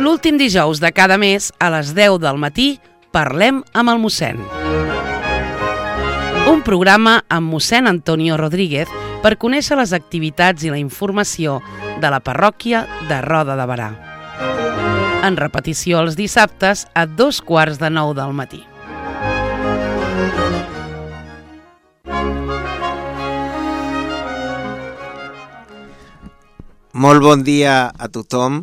L'últim dijous de cada mes, a les 10 del matí, parlem amb el mossèn. Un programa amb mossèn Antonio Rodríguez per conèixer les activitats i la informació de la parròquia de Roda de Berà. En repetició els dissabtes a 8:45 del matí. Molt bon dia a tothom.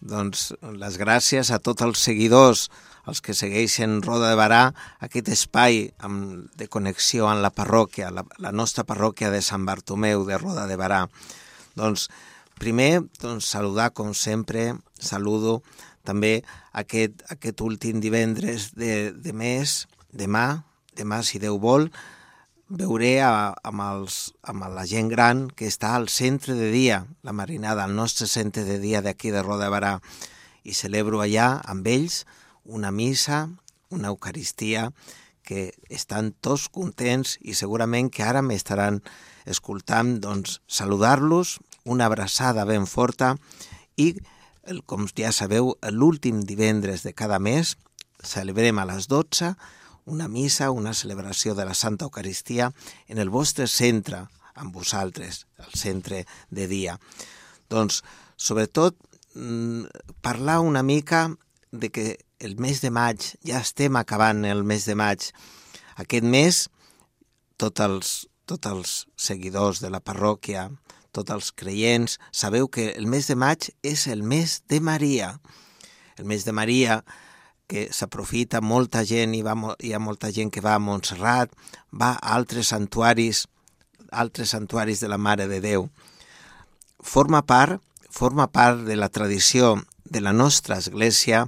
Doncs les gràcies a tots els seguidors, els que segueixen Roda de Berà, aquest espai de connexió amb la parròquia, la nostra parròquia de Sant Bartomeu de Roda de Berà. Doncs primer, saludar com sempre, saludo també aquest últim divendres de mes, demà si Déu vol, veuré amb la gent gran que està al centre de dia, la marinada, al nostre centre de dia d'aquí de Roda de Berà, i celebro allà amb ells una missa, una eucaristia, que estan tots contents i segurament que ara m'estaran escoltant, doncs saludar-los, una abraçada ben forta i, com ja sabeu, l'últim divendres de cada mes celebrem a les 12 una missa, una celebració de la Santa Eucaristia en el vostre centre, amb vosaltres, el centre de dia. Doncs, sobretot, parlar una mica de que el mes de maig, ja estem acabant el mes de maig. Aquest mes, tots els seguidors de la parròquia, tots els creients, sabeu que el mes de maig és el mes de Maria. El mes de Maria, que s'aprofita molta gent, hi ha molta gent que va a Montserrat, va a altres santuaris de la Mare de Déu. Forma part de la tradició de la nostra església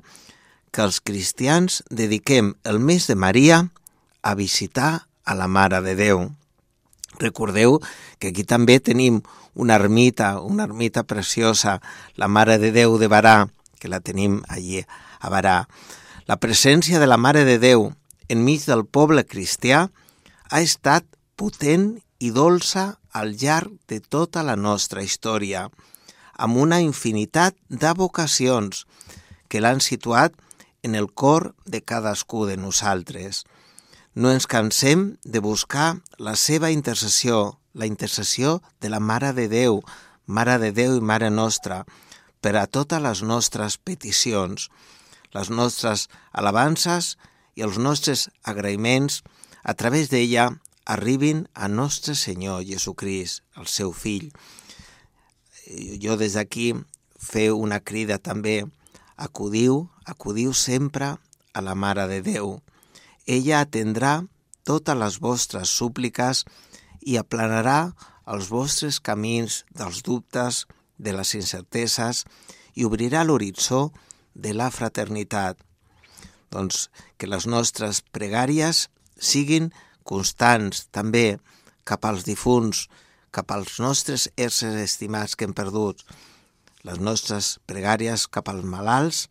que els cristians dediquem el mes de Maria a visitar a la Mare de Déu. Recordeu que aquí també tenim una ermita preciosa, la Mare de Déu de Berà, que la tenim allí a Berà. La presència de la Mare de Déu enmig del poble cristià ha estat potent i dolça al llarg de tota la nostra història, amb una infinitat de vocacions que l'han situat en el cor de cadascú de nosaltres. No ens cansem de buscar la seva intercessió, la intercessió de la Mare de Déu i Mare Nostra, per a totes les nostres peticions. Les nostres alabances i els nostres agraïments a través d'ella arribin a nostre Senyor Jesucrist, el seu fill. Jo des d'aquí feu una crida també, acudiu sempre a la Mare de Déu. Ella atendrà totes les vostres súpliques i aplanarà els vostres camins dels dubtes, de les incerteses i obrirà l'horitzó de la fraternitat. Doncs que les nostres pregàries siguin constants també cap als difunts, cap als nostres éssers estimats que hem perdut, les nostres pregàries cap als malalts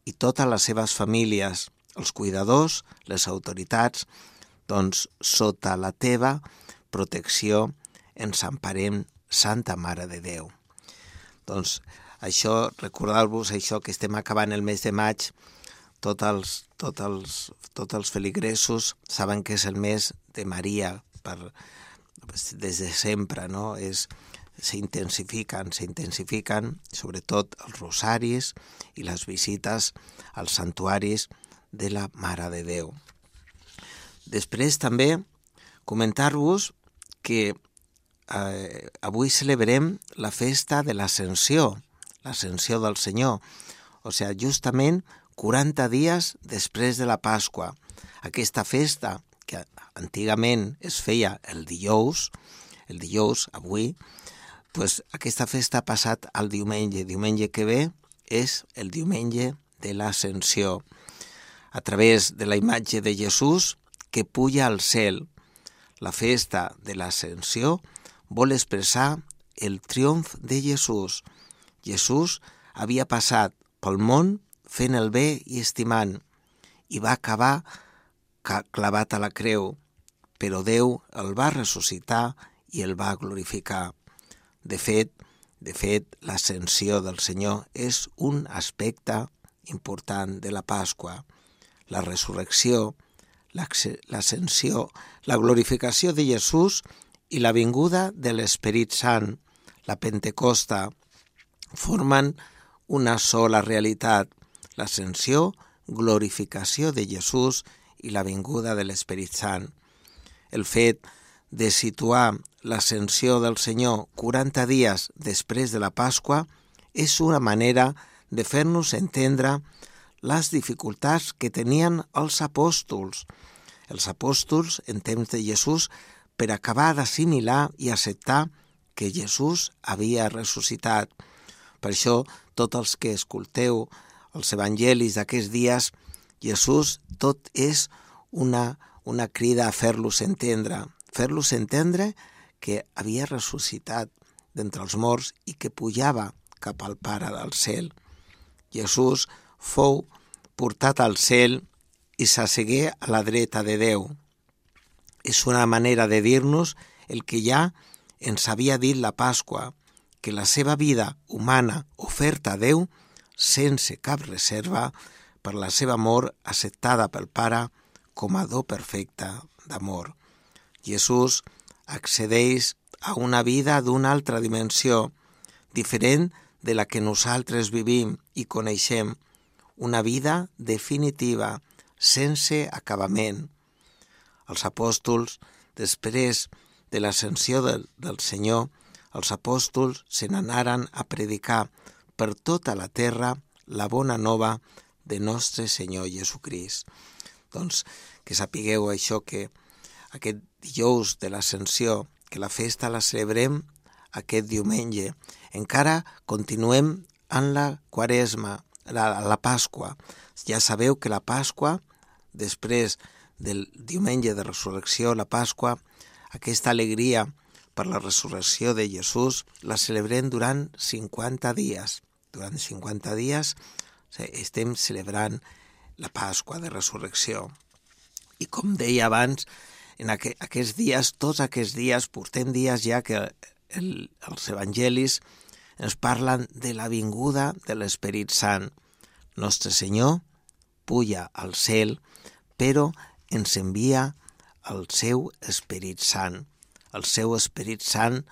i totes les seves famílies, els cuidadors, les autoritats, doncs sota la teva protecció ens emparem, Santa Mare de Déu. Doncs això, recordar-vos això, que estem acabant el mes de maig, tots els feligresos saben que és el mes de Maria, des de sempre, no? S'intensifiquen, sobretot els rosaris i les visites als santuaris de la Mare de Déu. Després també comentar-vos que avui celebrem la festa de l'Ascensió, l'Ascensió del Senyor, o sigui, justament 40 dies després de la Pasqua. Aquesta festa, que antigament es feia el dijous, avui, doncs aquesta festa ha passat al diumenge que ve és el diumenge de l'Ascensió, a través de la imatge de Jesús que puja al cel. La festa de l'Ascensió vol expressar el triomf de Jesús. Jesús havia passat pel món fent el bé i estimant, i va acabar clavat a la creu, però Déu el va ressuscitar i el va glorificar. De fet, l'ascensió del Senyor és un aspecte important de la Pasqua: la resurrecció, l'ascensió, la glorificació de Jesús i la vinguda de l'Esperit Sant, la Pentecosta, formen una sola realitat: l'ascensió, glorificació de Jesús i la vinguda de l'Esperit Sant. El fet de situar l'ascensió del Senyor 40 dies després de la Pasqua és una manera de fer-nos entendre les dificultats que tenien els apòstols. Els apòstols, en temps de Jesús, per acabar d'assimilar i acceptar que Jesús havia ressuscitat. Per això, tots els que escolteu els evangelis d'aquests dies, Jesús tot és una crida a fer-los entendre que havia ressuscitat d'entre els morts i que pujava cap al Pare del cel. Jesús fou portat al cel i s'assegué a la dreta de Déu. És una manera de dir-nos el que ja ens havia dit la Pasqua, que la seva vida humana oferta a Déu sense cap reserva per la seva mort acceptada pel Pare com a do perfecte d'amor. Jesús accedeix a una vida d'una altra dimensió, diferent de la que nosaltres vivim i coneixem, una vida definitiva, sense acabament. Els apòstols, després de l'ascensió del Senyor, els apòstols se n'anaren a predicar per tota la terra la bona nova de nostre Senyor Jesucrist. Doncs que sapigueu això, que aquest dijous de l'Ascensió, que la festa la celebrem aquest diumenge, encara continuem en la Quaresma, la Pasqua. Ja sabeu que la Pasqua, després del diumenge de resurrecció, la Pasqua, aquesta alegria per la resurrecció de Jesús, la celebrem durant 50 dies. Durant 50 dies estem celebrant la Pasqua de resurrecció. I com deia abans, en aquests dies, tots aquests dies, portem dies ja que els evangelis ens parlen de la vinguda de l'Esperit Sant. Nostre Senyor puja al cel, però ens envia el seu Esperit Sant. El seu Esperit Sant,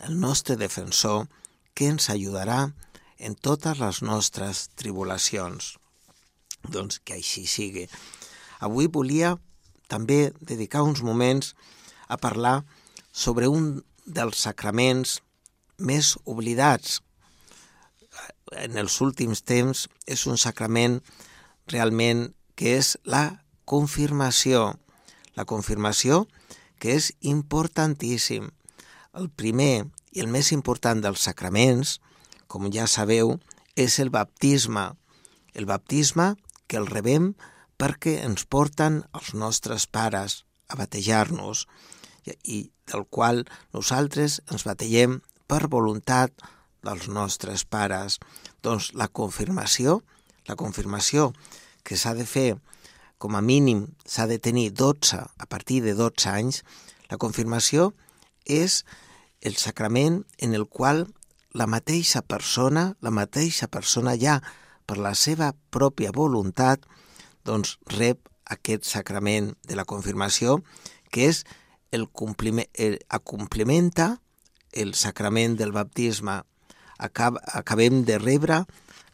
el nostre defensor, que ens ajudarà en totes les nostres tribulacions. Doncs que així sigui. Avui volia també dedicar uns moments a parlar sobre un dels sacraments més oblidats. En els últims temps és un sacrament realment que és la confirmació. La confirmació, que és importantíssim. El primer i el més important dels sacraments, com ja sabeu, és el baptisme. El baptisme que el rebem perquè ens porten els nostres pares a batejar-nos i del qual nosaltres ens bategem per voluntat dels nostres pares. Doncs la confirmació que s'ha de fer, com a mínim s'ha de tenir 12, a partir de 12 anys, la confirmació és el sacrament en el qual la mateixa persona ja per la seva pròpia voluntat doncs rep aquest sacrament de la confirmació, que és complementa el sacrament del baptisme. Acabem de rebre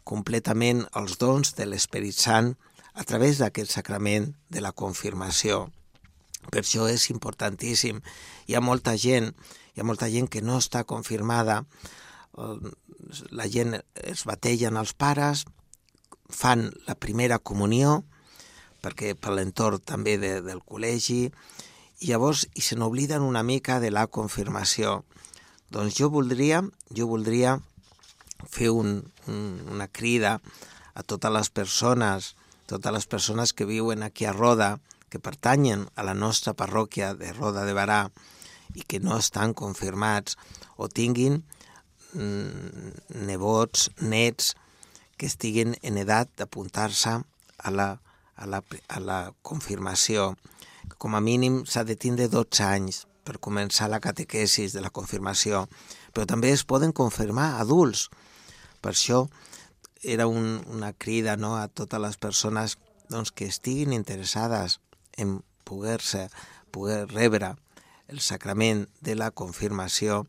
completament els dons de l'Esperit Sant a través d'aquest sacrament de la confirmació. Per això és importantíssim. Hi ha molta gent que no està confirmada. La gent es bategen els pares, fan la primera comunió, perquè per l'entorn també del col·legi, i llavors se n'obliden una mica de la confirmació. Doncs jo voldria fer una crida a totes les persones que viuen aquí a Roda, que pertanyen a la nostra parròquia de Roda de Barà i que no estan confirmats o tinguin nebots, nets, que estiguin en edat d'apuntar-se a la confirmació. Com a mínim s'ha de tindre 12 anys per començar la catequesis de la confirmació, però també es poden confirmar adults. Per això era una crida, no?, a totes les persones doncs, que estiguin interessades en poder rebre el sacrament de la confirmació,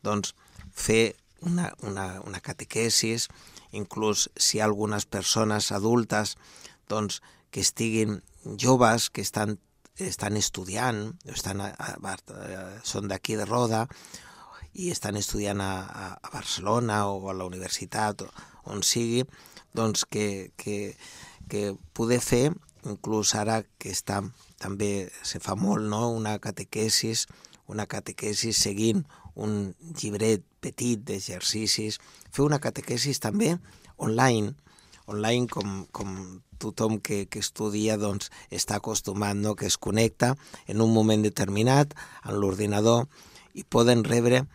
doncs fer una catequesis, inclús si hi ha algunes persones adultes doncs, que estiguin joves, que estan estudiant, són d'aquí de Roda i estan estudiant a Barcelona o a la universitat, on sigui, doncs que poder fer, inclús ara que està, també se fa molt, no?, una catequesis seguint un llibret petit d'exercicis, fer una catequesis també online com tothom que estudia doncs, està acostumat, no?, que es connecta en un moment determinat en l'ordinador i poden rebre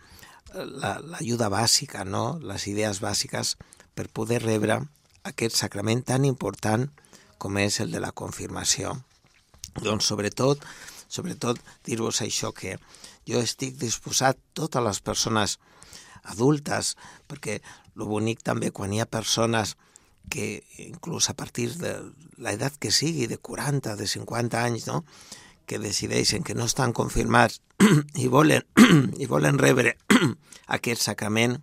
l'ajuda bàsica, no?, les idees bàsiques per poder rebre aquest sacrament tan important com és el de la confirmació. Doncs sobretot dir-vos això, que jo estic disposat, totes les persones adultes, perquè el bonic també quan hi ha persones que inclús a partir de l'edat que sigui, de 40, de 50 anys, no?, que decideixen que no estan confirmats i volen rebre aquest sacrament,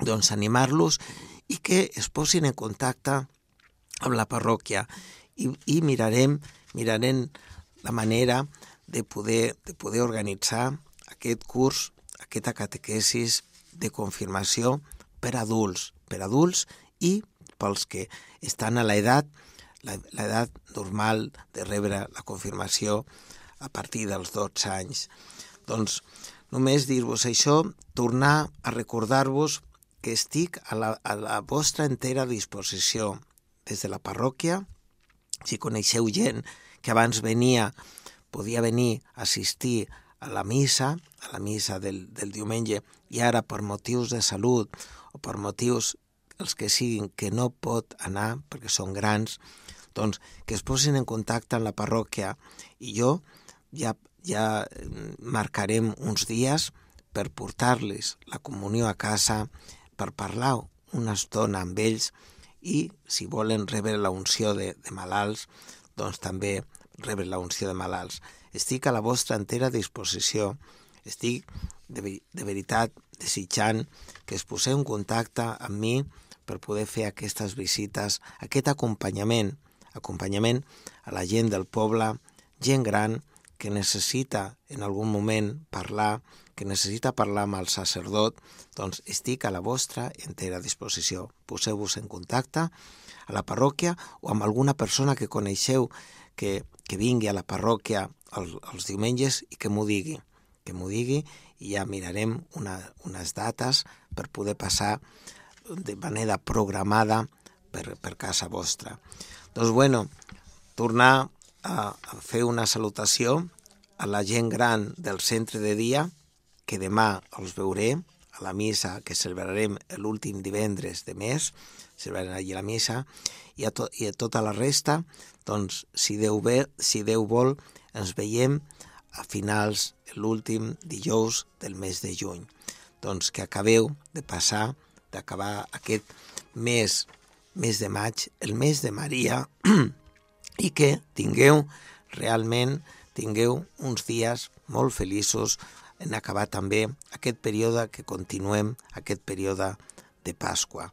doncs animar-los i que es posin en contacte amb la parròquia i mirarem la manera de poder organitzar aquest curs, aquesta catequesis de confirmació per adults i pels que estan a l'edat normal de rebre la confirmació a partir dels 12 anys. Doncs només dir-vos això, tornar a recordar-vos que estic a la vostra entera disposició des de la parròquia. Si coneixeu gent que abans podia venir a assistir a la missa del diumenge i ara per motius de salut o per motius els que siguin que no pot anar perquè són grans, doncs que es posin en contacte amb la parròquia i jo ja marcarem uns dies per portar-los la comunió a casa, per parlar una estona amb ells i si volen rebre la unció de malalts, doncs també rebre la unció de malalts. Estic a la vostra entera disposició. Estic de veritat desitjant que es poseu en contacte amb mi per poder fer aquestes visites, aquest acompanyament a la gent del poble, gent gran que necessita en algun moment parlar, que necessita parlar amb el sacerdot, doncs estic a la vostra entera disposició. Poseu-vos en contacte a la parròquia o amb alguna persona que coneixeu que vingui a la parròquia els diumenges i que m'ho digui i ja mirarem unes dates per poder passar de manera programada per casa vostra. Doncs bueno, tornar a fer una salutació a la gent gran del centre de dia, que demà els veuré a la missa que celebrarem l'últim divendres de mes, celebrarem allí la missa, i a tota la resta, doncs, si Déu vol, ens veiem a finals l'últim dijous del mes de juny. Doncs que acabeu d'acabar aquest mes de maig, el mes de Maria, i que tingueu uns dies molt feliços en acabar també aquest període que continuem, aquest període de Pasqua.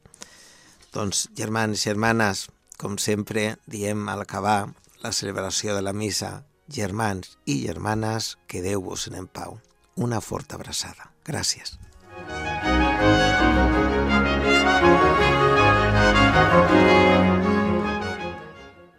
Doncs, germans i germanes, com sempre diem al acabar la celebració de la missa, germans i germanes, quedeu-vos en pau. Una forta abraçada. Gràcies.